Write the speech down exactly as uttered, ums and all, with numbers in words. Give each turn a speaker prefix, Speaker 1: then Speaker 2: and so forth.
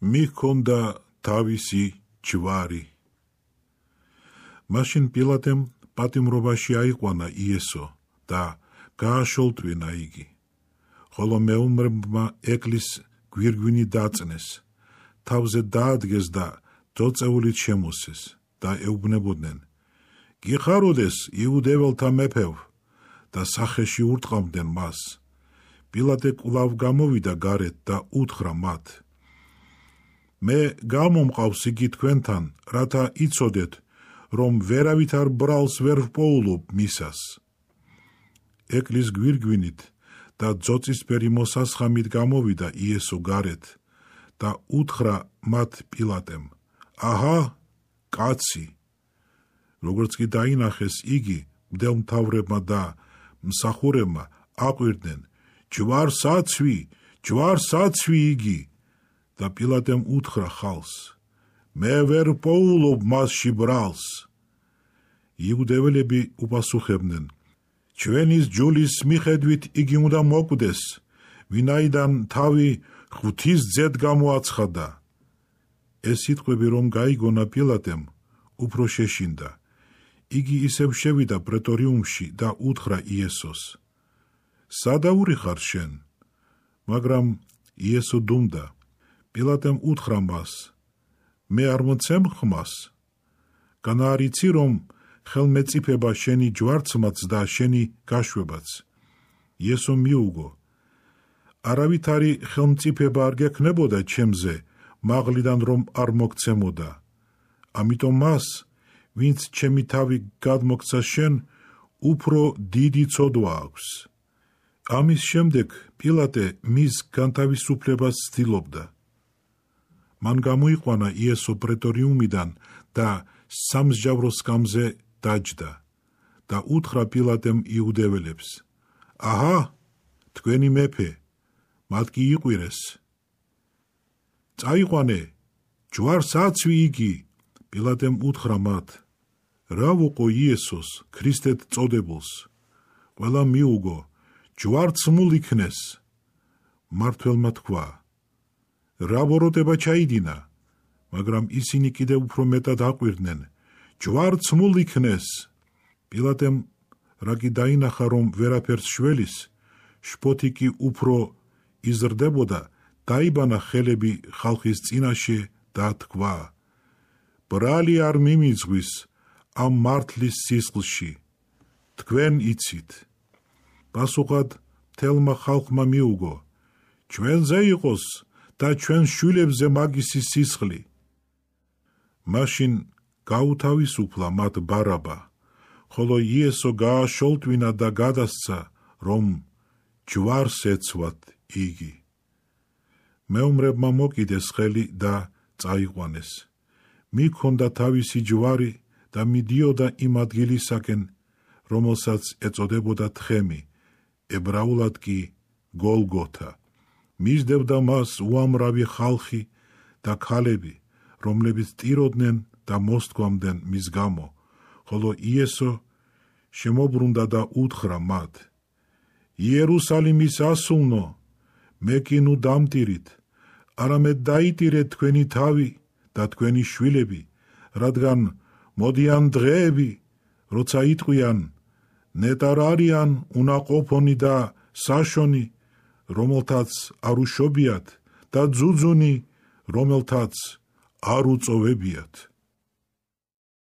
Speaker 1: მიქონდა თავისი ჯვარი. მაშინ პილატემ პატიმრობაში აიყვანა იესო და გააშოლტვინა იგი, ხოლო მეომრებმა ექლის გვირგვინი დაწნეს, თავზე დაადგეს და ძოწეულით შემოსეს და ეუბნებოდნენ: გიხაროდეს იუდეველთა მეფევ, და სახეში ურტყამდნენ მას. პილატე კვლავ გამოვიდა გარეთ და უთხრა მათ: მე გამომყავს იგი თქვენთან, რათა იცოდეთ, რომ ვერავით არ ბრალს ვერ ვპოულობ მისას. ექლის გვირგვინით და ძოწისფერი მოსასხამით გამოვიდა იესო გარეთ და უთხრა მათ პილატემ: აჰა, კაცი! როგორც კი დაინახეს იგი, მდელმთავრებმა და მსახურებმა აყვირდნენ: ჯვარსაცვი, ჯვარსაცვი იგი! და პილატემ უთხრა ხალს: მე ვერ პოულობ მასში ბრალს. იუდეველები უპასუხებდნენ: ჩვენის ჯულის მიხედვით იგი უნდა მოკვდეს, ვინაიდან თავი ღვთის ძედ გამოაცხადა. ეს სიტყვები რომ გაიგონა პილატემ, უფრო შეშინდა. იგი ისევ შევიდა პრეტორიუმში და უთხრა იესოს: სადაური ხარ შენ? მაგრამ იესო დუმდა. პილატემ უთხრა მას: მე არ მოცემ ხმას? განა არ იცი, რომ ხელმეწიფება შენი ჯვარცმაც და შენი გაშვებაც? იესო მიუგო: არავითარი ხელმწიფება არ გექნებოდა ჩემზე, მაღლიდან რომ არ მოგცემოდა. ამიტომ მას, ვინც ჩემი თავი გადმოგცა შენ, უფრო დიდი ცოდვა აქვს. ამის შემდეგ პილატე მის განთავისუფლებას ცდილობდა. მან გამოიყვანა იესო პრეტორიუმიდან და სამსჯავრო სკამზე დაჯდა და უთხრა პილატემ იუდეველებს: აჰა, თქვენი მეფე! მათ კი იყვირეს. წაიყვანე, ჯვარსაცვი იგი! პილატემ უთხრა მათ: რა ვუყო იესოს, ქრისტედ წოდებულს? ყველა მიუგო: ჯვარცმულ იქნეს. მმართველმა თქვა: რა ბოროტება ჩაიდინა? მაგრამ ისინი კიდევ უფრო მეტად აყვირდნენ: ჯვარცმულ იქნეს. პილატემ რა კი დაინახა, რომ ვერაფერს შველის, შფოთი კი უფრო იზრდებოდა, დაიბანა ხელები ხალხის წინაშე და თქვა: ბრალი არ მიმიძღვის ამ მართლის სისხლში, თქვენ იცით. პასუხად მთელმა ხალხმა მიუგო: ჩვენზე იყოს და ჩვენ შვილებზე მაგისი სისხლი. მაშინ გაუთავისუფლა მათ ბარაბა, ხოლო იესო გააშოლტვინა და გადასცა, რომ ჯვარს ეცვათ იგი. მეომრებმა მოკიდეს ხელი და წაიყვანეს. მიქონდა თავისი ჯვარი და მიდიოდა იმ ადგილისაკენ, რომელსაც ეწოდებოდა თხემი, ებრაულად კი გოლგოთა. მისდევდა მას უამრავი ხალხი და ქალები, რომლებიც ტიროდნენ და მოსთქვამდნენ მის გამო, ხოლო იესო შემობრუნდა და უთხრა მათ: იერუსალიმის ასულნო, მე კი ნუ დამტირით, არამედ დაიტირეთ თქვენი თავი და თქვენი შვილები, რადგან მოდიან დღეები, როცა იტყვიან: ნეტარ არიან უნაყოფონი და საშონი, რომელთაც არ უშობიათ, და ძუძუნი, რომელთაც არ უწოვებიათ.